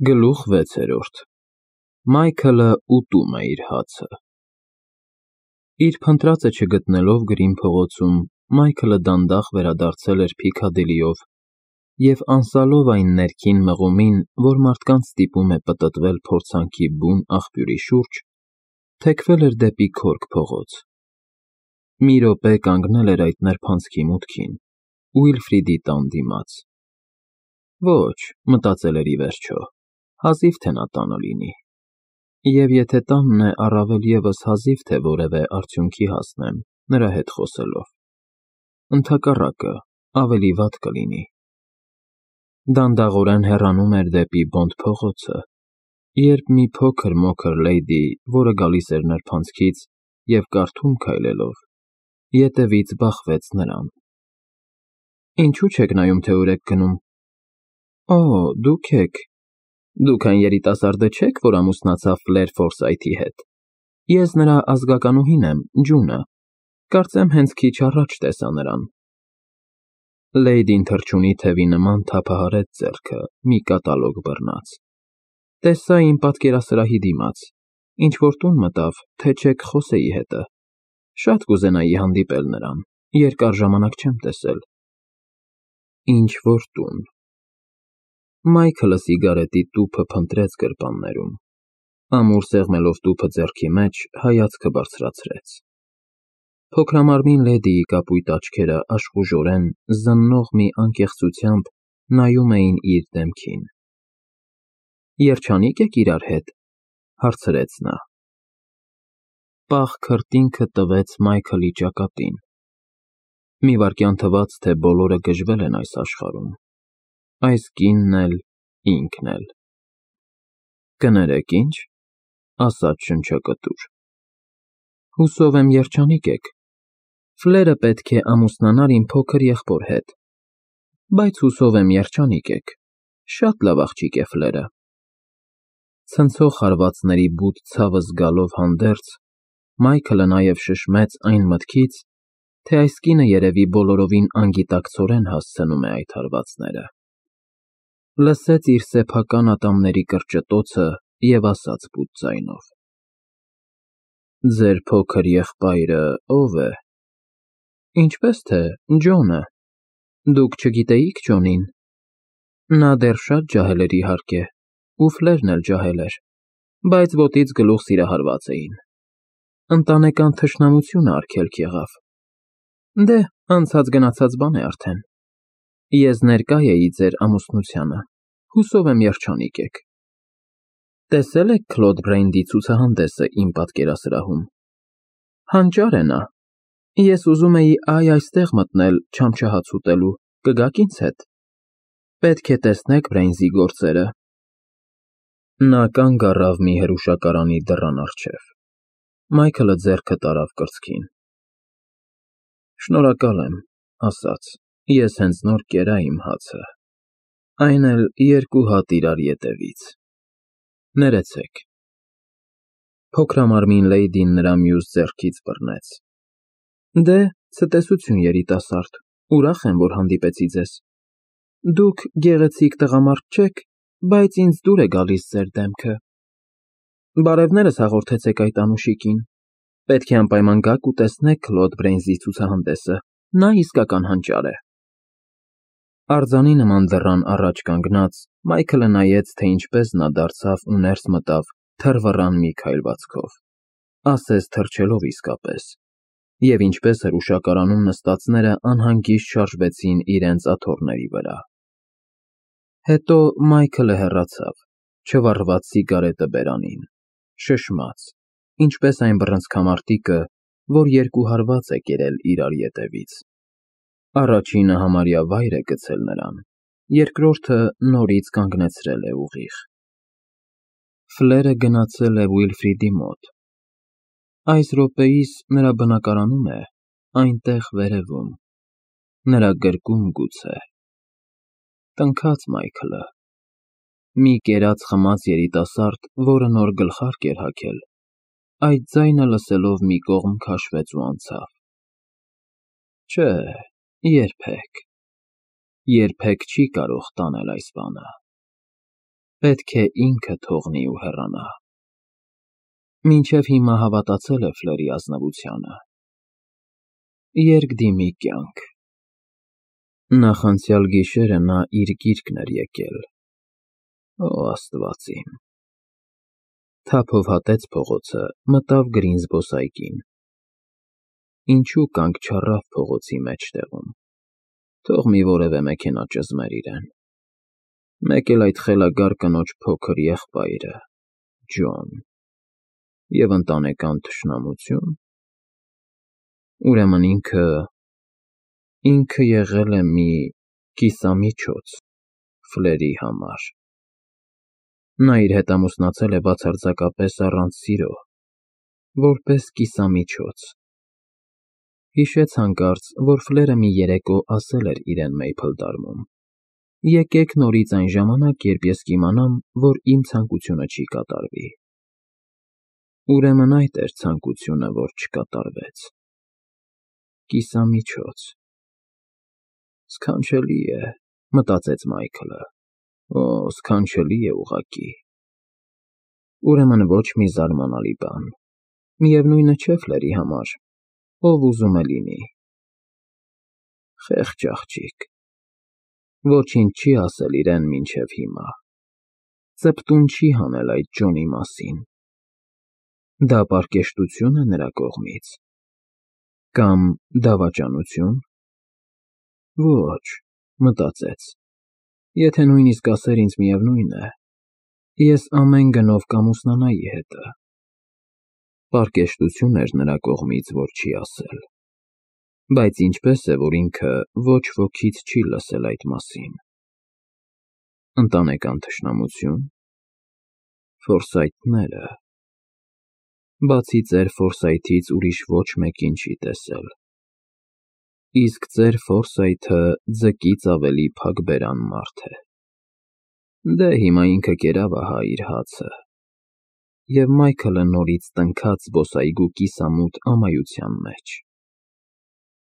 Գլուխ 6 Մայքլը ուտում է իր հացը։ Իր փնտրածը չգտնելով գրին փողոցում, Մայքլը դանդաղ վերադարձել էր Փիքադիլիով և անսալով այն ներքին մղումին, որ մարդկանց ստիպում է պտտվել փորձանքի բուն աղբյուրի շուրջ, թեքվել էր դեպի Քորք փողոց։ Մի րոպե կանգնել էր այդ նրբանցքի մուտքին, Ուիլֆրիդի տան դիմաց։ Ոչ, մտածել էր ի վերջո, հազիվ թե նա տանը լինի, և եթե տանն է, առավել ևս հազիվ թե որևէ արդյունքի հասնեմ նրա հետ խոսելով, ընդհակառակը, ավելի վատ կլինի։ Դանդաղորեն հեռանում էր դեպի Բոնդ փողոցը, երբ մի փոքր-մոքր լեյդի, որը գալիս էր նրբանցքից և կարդում քայլելով, ետևից բախվեց նրան։ Ինչու՞ չեք նայում, թե ուր եք գնում։ Օ, դուք այն երիտասարդը չե՞ք, որ ամուսնացավ Ֆլեր Ֆորսայթի հետ։ Ես նրա ազգականուհին եմ, Ջունը, կարծեմ հենց քիչ առաջ տեսա նրան։ Լեյդին թռչունի թևի նման թափահարեց ձեռքը, մի կատալոգ բռնած։ Տեսա իմ պատկերասրահի դիմաց, ինչ-որ տուն մտավ, թե չեք խոսեի հետը։ Շատ կուզենայի հանդիպել նրան, երկար ժամանակ չեմ տեսել։ Ինչ-որ տուն։ Մայքլը սիգարետի տուփը փնտրեց գրպաններում, ամուր սեղմելով տուփը ձեռքի մեջ, հայացքը բարձրացրեց։ Փոքրամարմին լեդիի կապույտ աչքերը աշխուժորեն, զննող մի անկեղծությամբ նայում էին իր դեմքին։ Երջանի՞կ եք իրար հետ, հարցրեց նա։ Պաղ քրտինքը տվեց Մայքլի ճակատին։ Մի վայրկյան թվաց, թե բոլորը գժվել են այս աշխարհում, այս կինն էլ, ինքն էլ։ Կներեք ինչ, ասաց շնչակտուր։ Հուսով եմ երջանիկ եք։ Ֆլերը պետք է ամուսնանար իմ փոքր եղբոր հետ, բայց հուսով եմ երջանիկ եք։ Շատ լավ աղջիկ է Ֆլերը։ Ցնցող հարվածների բութ ցավը զգալով հանդերձ, Մայքլը նաև շշմեց այն մտքից, թե այս կինը երևի բոլորովին անգիտակցորեն հասցնում է այդ հարվածները։ Լսեց իր սեփական ատամների կրճտոցը և ասաց բութ ձայնով. Ձեր փոքր եղբայրը ո՞վ է։ Ինչպես թե, Ջոնը։ Դուք չգիտեիք Ջոնին։ Նա դեռ շատ ջահել էր իհարկե, ու Ֆլերն էլ ջահել էր, բայց ոտից գլուխ սիրահարված էին։ Ընտանեկան թշնամությունը արգելք եղավ։ Դե, անցած-գնացած բան է արդեն։ Ես ներկա էի ձեր ամուսնությանը, հուսով եմ երջանիկ եք։ Տեսե՞լ եք Քլոդ Բրեյնդի ցուցահանդեսը իմ պատկերասրահում։ Հանճար է նա։ Ես ուզում էի այստեղ մտնել չամչահաց ուտելու, կգաք ինձ հետ։ Պետք է տեսնեք Բրեյնզի գործերը։ Նա կանգ առավ մի հրուշակարանի դռան առջև։ Մայքլը ձեռքը տարավ կրծքին։ Շնորհակալ եմ, ասաց, ես հենց նոր կերա իմ հացը, այն էլ 2 հատ իրար ետևից։ Ներեցեք։ Փոքրամարմին լեյդին նրա մյուս ձեռքից բռնեց։ Դե, ցտեսություն երիտասարդ, ուրախ եմ, որ հանդիպեցի ձեզ։ Դուք գեղեցիկ տղամարդ չեք, բայց ինձ դուր է գալիս ձեր դեմքը։ Բարևներս հաղորդեցեք այդ անուշիկին։ Պետք է անպայման գաք ու տեսնեք Քլոդ Բրեյնզի ցուցահանդեսը, նա իսկական հանճար է։ Արձանի նման դռան առաջ կանգնած, Մայքլը նայեց, թե ինչպես նա դարձավ ու ներս մտավ թռվռան մի քայլվածքով, ասես թռչելով իսկապես, և ինչպես հրուշակարանում նստածները անհանգիստ շարժվեցին իրենց աթոռների վրա։ Հետո Մայքլը հեռացավ, չվառված սիգարետը բերանին, շշմաց, ինչպես այն բռնցքամարտիկը, որ 2 հարված է կերել իրար ետևից։ Առաջինը համարյա վայր է գցել նրան, երկրորդը նորից կանգնեցրել է ուղիղ։ Ֆլերը գնացել է Ուիլֆրիդի մոտ։ Այս րոպեիս նրա բնակարանում է, այնտեղ վերևում, նրա գրկում գուցե։ Տնքաց Մայքլը։ Մի կերած-խմած երիտասարդ, որը նոր գլխարկ էր հագել, այդ ձայնը լսելով մի կողմ քաշվեց ու անցավ։ Չէ, երբեք չի կարող տանել այս բանը։ Պետք է ինքը թողնի ու հեռանա։ Մինչև հիմա հավատացել է Ֆլերի ազնվությանը։ Երկդիմի կյանք։ Նախանցյալ գիշերը նա իր գիրկն էր եկել։ Օ, Աստված իմ։ Թափով հատեց փողոցը, մտավ գրին զբոսայգին։ Ինչու կանգ չառավ փողոցի մեջտեղում։ Թող մի որևէ մեքենա ճզմեր իրեն։ Մեկ էլ այդ խելագար կնոջ փոքր եղբայրը՝ Ջոն։ Եվ ընտանեկան թշնամություն։ Ուրեմն ինքը եղել է մի կիսամիջոց Ֆլերի համար։ Նա իր հետ ամուսնացել է բացարձակապես առանց սիրո, որպես կիսամիջոց։ Հիշեց հանկարծ, որ Ֆլերը մի երեկո ասել էր իրեն Մեյփլդարմում. «Եկեք նորից այն ժամանակ, երբ ես կիմանամ, որ իմ ցանկությունը չի կատարվի»։ Ուրեմն այդ էր ցանկությունը, որ չկատարվեց։ Կիսամիջոց։ Սքանչելի է, մտածեց Մայքլը։ Օ, սքանչելի է ուղղակի։ Ուրեմն ոչ մի զարմանալի բան։ Միևնույնը չէ Ֆլերի համար, ով ուզում է լինի։ Խեղճ աղջիկ։ Ոչինչ չի ասել իրեն մինչև հիմա։ Ծպտուն չի հանել այդ Ջոնի մասին։ Դա պարկեշտությո՞ւն է նրա կողմից։ Կամ դավաճանությո՞ւն։ Ոչ, մտածեց, եթե նույնիսկ ասեր ինձ միևնույն է, ես ամեն գնով կամուսնանայի հետը։ Պարկեշտություն էր նրա կողմից, որ չի ասել։ Բայց ինչպես է, որ ինքը ոչ ոքից չի լսել այդ մասին։ Ընտանեկան թշնամությո՞ւն։ Ֆորսայթները։ Բացի ծեր Ֆորսայթից ուրիշ ոչ մեկին չի տեսել։ Իսկ ծեր Ֆորսայթը ձկից ավելի փակբերան մարդ է։ Դե հիմա ինքը կերավ ահա իր հացը։ Եվ Մայքլը նորից տնքաց զբոսայգու կիսամութ ամայության մեջ։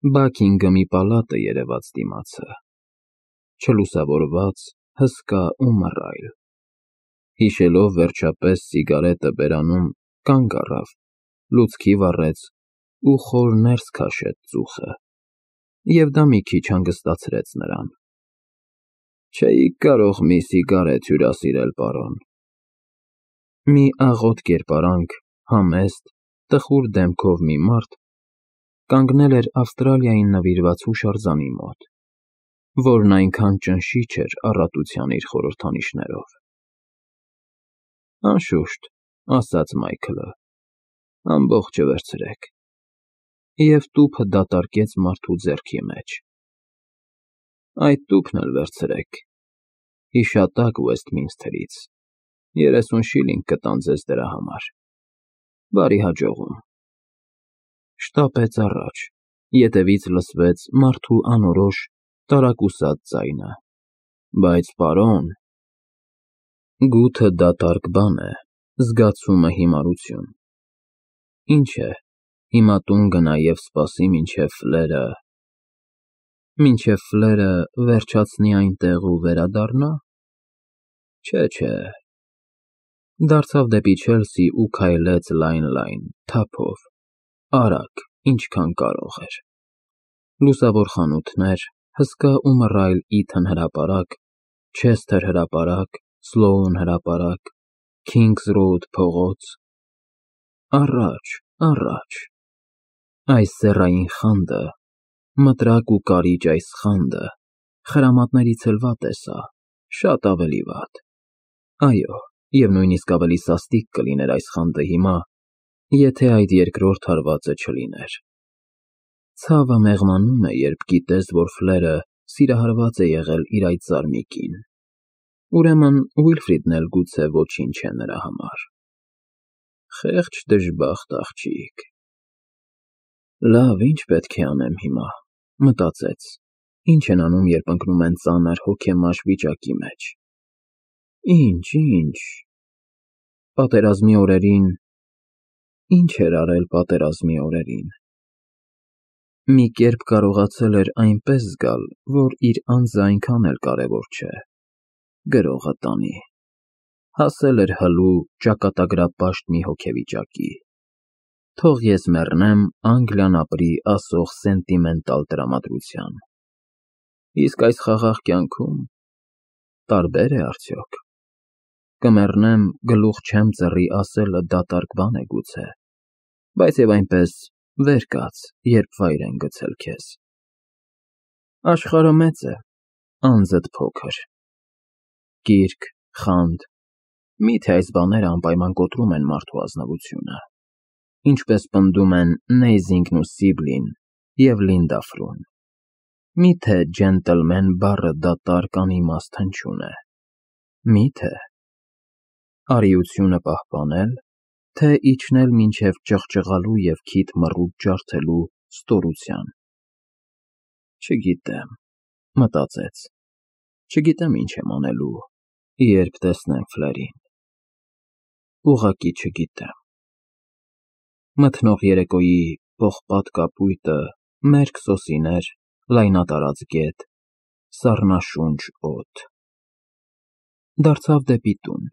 Բաքինգհամի պալատը երևաց դիմացը։ Չլուսավորված, հսկա ու մռայլ։ Հիշելով վերջապես սիգարետը բերանում, կանգ առավ, լուցկի վառեց ու խոր ներս քաշեց ծուխը։ Եվ դա մի քիչ հանգստացրեց նրան։ Չէիք կարող մի սիգարետ հյուրասիրել, պարոն։ Մի աղոտ կերպարանք, համեստ, տխուր դեմքով մի մարդ կանգնել էր Ավստրալիային նվիրված հուշարձանի մոտ, որն այնքան ճնշիչ էր առատության իր խորհրդանիշներով։ Անշուշտ, ասաց Մայքլը, ամբողջը վերցրեք։ Եվ տուփը դատարկեց մարդու ձեռքի մեջ։ Այդ տուփն էլ վերցրեք։ Հիշատակ Ուեսթմինսթերից, 30 շիլինգ կտան ձեզ դրա համար։ Բարի հաջողում։ Շտապեց առաջ, ետևից լսվեց մարդու անորոշ, տարակուսած ձայնը. Բայց պարոն… Գութը դատարկ բան է, զգացումը հիմարություն։ Ինչ է, հիմա տուն գնա և սպասի, մինչև Ֆլերը վերջացնի այնտեղ ու վերադառնա։ Չէ։ Դարձավ դեպի Չելսի ու քայլեց լայն, թափով, արագ, ինչքան կարող էր։ Լուսավոր խանութներ, հսկա ու մռայլ Իթն հրապարակ, Չեսթեր հրապարակ, Սլոուն հրապարակ, Քինգս Ռոուդ փողոց։ Առաջ։ Այս սեռային խանդը, մտրակ ու կարիճ այս խանդը, խրամատներից էլ վատ է սա, շատ ավելի վատ։ Այո, և նույնիսկ ավելի սաստիկ կլիներ այս խանդը հիմա, եթե այդ երկրորդ հարվածը չլիներ։ Ցավը մեղմանում է, երբ գիտես, որ Ֆլերը սիրահարված է եղել իր այդ զարմիկին։ Ուրեմն Ուիլֆրիդն էլ գուցե ոչինչ է նրա համար։ Խեղճ դժբախտ աղջիկ։ Լավ, ինչ պետք է անեմ հիմա, մտածեց։ Ինչ են անում, երբ ընկնում են ծանր հոգեմաշ վիճակի մեջ։ Ինչ։ Պատերազմի օրերին… Ինչ էր արել պատերազմի օրերին։ Մի կերպ կարողացել էր այնպես զգալ, որ իր անձը այնքան էլ կարևոր չէ։ Գրողը տանի։ հասել էր հլու ճակատագրապաշտ մի հոգեվիճակի։ Թող ես մեռնեմ Անգլիան ապրի ասող սենտիմենտալ տրամադրության։ Իսկ այս խաղաղ կյանքում տարբեր է արդյոք։ Կմեռնեմ գլուխ չեմ ծռի ասելը դատարկ բան է գուցե, բայց եւ այնպես վեր կաց, երբ վայր են գցել քեզ։ Աշխարհը մեծ է, անձդ փոքր։ Կիրք, խանդ, միթե այս բաները անպայման կոտրում են մարդու ազնվությունը, ինչպես պնդում են Նեյզինգն ու Սիբլին և Լինդա Ֆրուն։ Միթե ջենտլմեն բառը դատարկ անիմաստ հնչյուն է։ Միթե արիությունը պահպանել, թե իջնել մինչև ճղճղալու և քիթ մռութ ջարդելու ստորության։ Չգիտեմ, մտածեց, չգիտեմ ինչ եմ անելու, երբ տեսնեմ Ֆլերին։ Ուղղակի չգիտեմ։ Մթնող երեկոյի պողպատ կապույտը, մերկ սոսիներ, լայնատարած գետ, սառնաշունչ օդ։ Դարձավ դեպի տուն,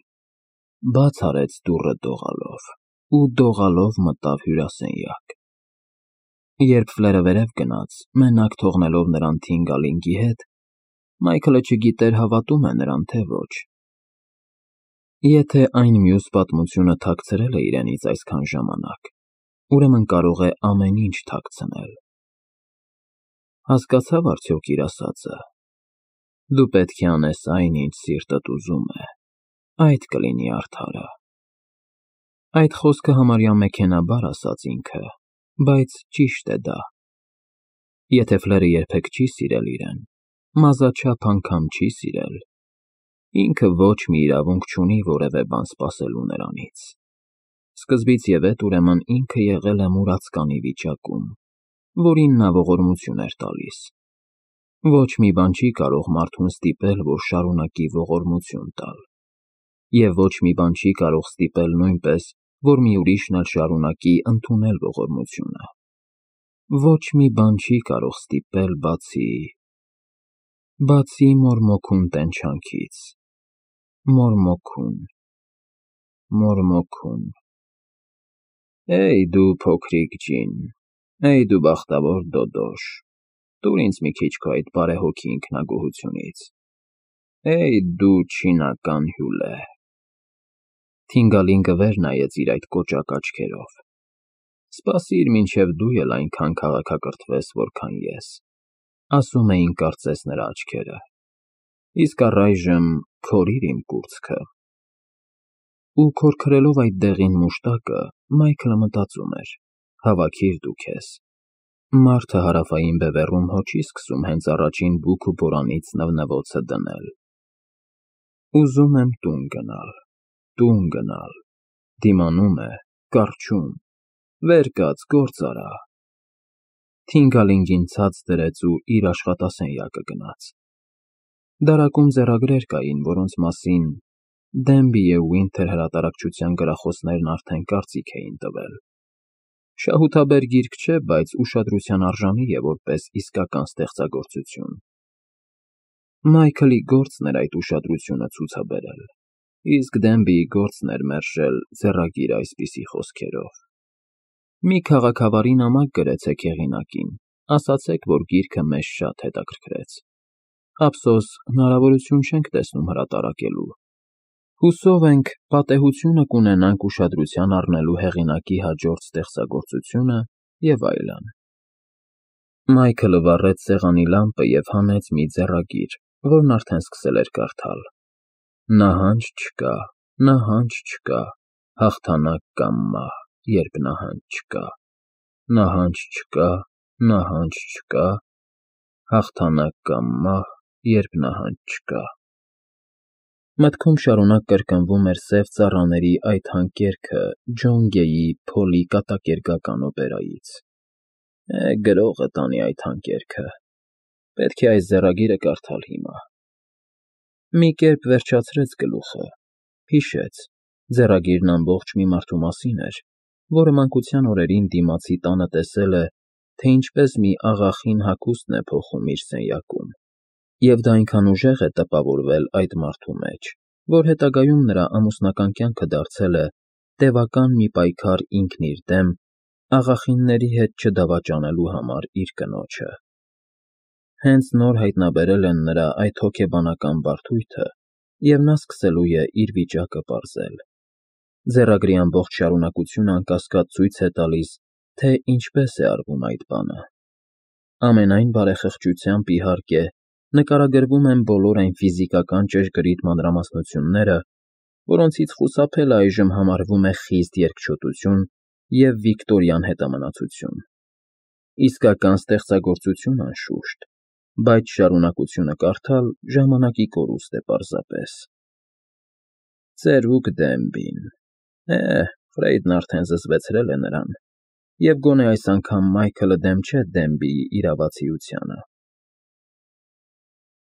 բաց արեց դուռը դողալով ու դողալով մտավ հյուրասենյակ։ Երբ Ֆլերը վերև գնաց, մենակ թողնելով նրան Թինգալինգի հետ, Մայքլը չգիտեր հավատում է նրան, թե ոչ։ Եթե այն մյուս պատմությունը թաքցրել է իրենից այսքան ժամանակ, ուրեմն կարող է ամեն ինչ թաքցնել։ Հասկացավ արդյոք իր ասածը։ Դու պետք է անես այն, ինչ սիրտդ ուզում է, այդ կլինի արդարը։ Այդ խոսքը համարյա մեքենաբար ասաց ինքը, բայց ճիշտ է դա։ Եթե Ֆլերը երբեք չի սիրել իրեն, մազաչափ անգամ չի սիրել, ինքը ոչ մի իրավունք չունի որևէ բան սպասելու նրանից։ Սկզբից և էդ ուրեմն ինքը եղել է մուրացկանի վիճակում, որին նա ողորմություն էր տալիս։ Ոչ մի բան չի կարող մարդուն ստիպել, որ շարունակի ողորմություն տալ։ Եվ ոչ մի բան չի կարող ստիպել նույնպես, որ մի ուրիշն էլ շարունակի ընդունել ողորմությունը։ Ոչ մի բան չի կարող ստիպել բացի մորմոքուն տենչանքից։ Մորմոքուն։ Էй դու փոքրիկ ջին, էй դու բախտավոր դոդոշ, տուր ինձ մի քիչ քո այդ բարեհոգի ինքնագոհությունից։ Էй դու չինական հյուլե։ Թինգալինգը վեր նայեց իր այդ կոճակ աչքերով։ Սպասիր, մինչև դու էլ այնքան քաղաքակրթվես, որքան ես, ասում էին կարծես նրա աչքերը։ Իսկ առայժմ քորիր իմ կուրծքը։ Ու քորքրելով այդ դեղին մուշտակը, Մայքլը մտածում էր. հավաքիր դու քեզ։ Մարդը հարավային բևեռում հո չի սկսում հենց առաջին բուք ու բորանից նվնվոցը դնել։ Ուզում եմ տուն գնալ, դիմանում է, կառչում, վեր կաց, գործ արա։ Թինգալինգին ցած դրեց ու իր աշխատասենյակը գնաց։ Դարակում ձեռագրեր կային, որոնց մասին Դենբի և Ուինթեր հրատարակչության գրախոսներն արդեն կարծիք էին տվել։ Շահութաբեր գիրք չէ, բայց ուշադրության արժանի է որպես իսկական ստեղծագործություն։ Մայքլի գործն էր այդ ուշադրությունը ցուցաբերել, իսկ Դենբիի գործն էր մերժել ձեռագիրը այսպիսի խոսքերով. Մի քաղաքավարի նամակ գրեցեք հեղինակին, ասացեք, որ գիրքը մեզ շատ հետաքրքրեց։ Ափսոս, հնարավորություն չենք տեսնում հրատարակելու։ Հուսով ենք, պատեհությունը կունենանք ուշադրության առնելու հեղինակի հաջորդ ստեղծագործությունը և այլն։ Մայքլը վառեց սեղանի լամպը և հանեց մի ձեռագիր, որն արդեն սկսել էր կարդալ։ Նահանջ չկա, հաղթանակ կամ մահ, երբ նահանջ չկա։ Նահանջ չկա, հաղթանակ կամ մահ, երբ նահանջ չկա։ Մտքում շարունակ կրկնվում էր սև ծառաների այդ հանկերքը Ջոն Գեյի Փոլի կատակերգական օպերայից։ Գրողը տանի այդ հանկերքը։ Պետք է այս ձեռագիրը կարդալ հիմա։ Մի կերպ վերջացրեց գլուխը, հիշեց, ձեռագիրն ամբողջ մի մարդու մասին էր, որը մանկության օրերին դիմացի տանը տեսել է, թե ինչպես մի աղախին հագուստն է փոխում իր սենյակում, և դա այնքան ուժեղ է տպավորվել այդ մարդու մեջ, որ հետագայում նրա ամուսնական կյանքը դարձել է տևական մի պայքար ինքն իր դեմ աղախինների հետ չդավաճանելու համար իր կնոջը։ Հենց նոր հայտնաբերել են նրա այդ հոգեբանական բարդույթը, և նա սկսելու է իր վիճակը պարզել։ Ձեռագրի ամբողջ շարունակությունը անկասկած ցույց է տալիս, թե ինչպես է արվում այդ բանը։ Ամենայն բարեխղճությամբ, իհարկե, նկարագրվում են բոլոր այն ֆիզիկական ճշգրիտ մանրամասնությունները, որոնցից խուսափելը այժմ համարվում է խիստ երկչոտություն և վիկտորյան հետամնացություն։ Իսկական ստեղծագործություն, անշուշտ, բայց շարունակությունը կարդալ ժամանակի կորուստ է պարզապես։ Ծերուկ Դեմբին… Ֆրեյդն արդեն զզվեցրել է նրան, և գոնե այս անգամ Մայքլը դեմ չէ Դեմբիի իրավացիությանը։